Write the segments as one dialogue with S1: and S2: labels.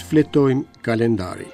S1: Shfletojmë kalendarin.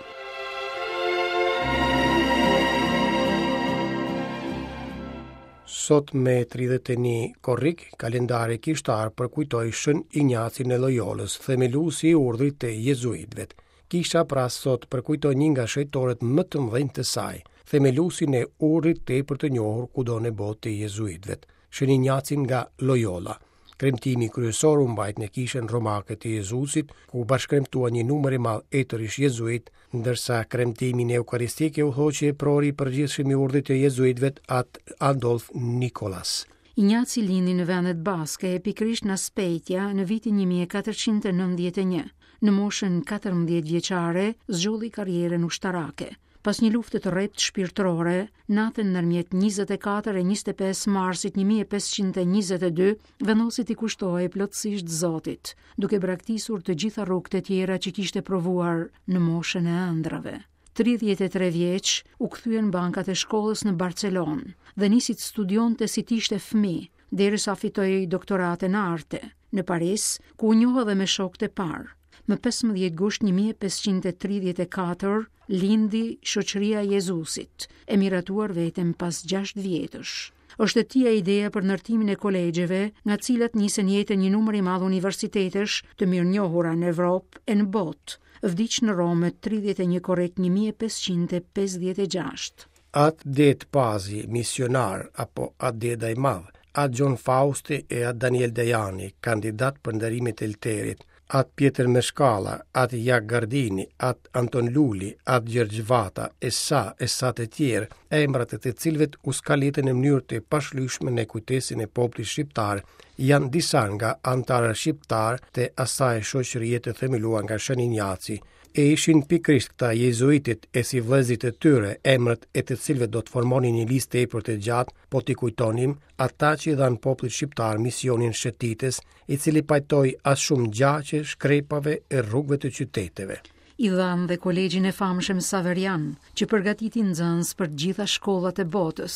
S1: Sot me 31 korrik, kalendari kishtar përkujtoi Shën Injacin e Loyolës, themeluesi i urdhrit të jezuitëve. Kisha pra sot përkujton një nga shenjtorët më të mëdhenj të saj, themeluesin e urdhrit tepër të njohur kudo në botë të jezuitëve, Shën Injacin nga Loyola. Kremtimi kryesor u mbajt në kishën romake të Jezusit, ku bashkëkremtuan një numër i madh etërish jezuitë, ndërsa kremtimin eukaristik e udhëhoqi eprori i përgjithshëm i urdhrit të jezuitëve At Adolf Nikolas.
S2: Injaci lindi në vendet baske, pikërisht në Azpeitia, në vitin 1491. Në moshën 14 vjeçare, zgjodhi karrierën ushtarake. Pas një lufte të rreptë shpirtërore, natën ndërmjet 24 e 25 marsit 1522, vendosi t'i kushtohej plotësisht Zotit, duke braktisur të gjitha rrugët e tjera që kishte provuar në moshën e ëndrrave. 33 vjeç, u kthye në bankat e shkollës në Barcelonë dhe nisi të studionte si të ishte fëmijë, derisa fitoi doktoratën në arte, në Paris, ku u njoh edhe me shokët e parë. Më 15 gusht 1534 lindi Shoqëria e Jezusit, e miratuar vetëm pas 6 vjetësh. Është e tija ideja për ndërtimin e kolegjeve, nga të cilat nisën jetën një numër i madh universitetesh të mirënjohura në Evropë e në botë. Vdiq në Romë më 31 korrik 1556.
S1: At Dedë Pazi, misionar, apo At Deda i Madh, At Gjon Fausti e At Daniel Dajani, kandidat për nderimet e Elterit, At Pjetër Meshkalla, At Jak Gardini, At Anton Luli, At Gjergj Vata, e sa e sa të tjerë, emrat e të cilëve u skalitën në mënyrë të pashlyeshme në kujtesën e popullit shqiptar, janë disa nga anëtarët shqiptarë të asaj shoqërie të themeluar nga Shën Injaci, E ishin pikërisht këta jezuitët e sivëllezërit e tyre, emrat e të cilëve do të formonin një listë tepër të gjatë, po t'i kujtonim, ata që i dhanë popullit shqiptar misionin shëtitës, i cili pajtoi aq shumë gjaqe shkrepave e rrugëve të
S2: qyteteve. I dhanë dhe kolegjin e famshëm Saverian, që përgatiti nxënës për të gjitha shkollat e botës,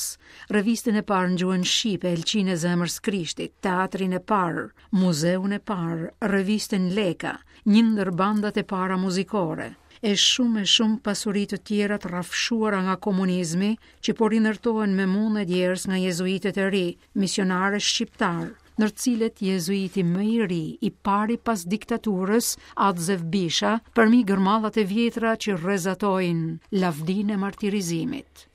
S2: revistën e parë në gjuhën shqipe, Elqinë e Zemrës Krishtit, teatrin e parë, muzeun e parë, revistën Leka, një ndër bandat e para muzikore, e shumë e shumë pasuri të tjera të rrafshuara nga komunizmi që po rindërtohen me mund e djersë nga jezuitët e ri, misionarë shqiptarë, ndër të cilët jezuiti më i ri, i pari pas diktaturës, At Zef Bisha, përmi gërmadhat e vjetra që rrezatojnë lavdinë e martirizimit.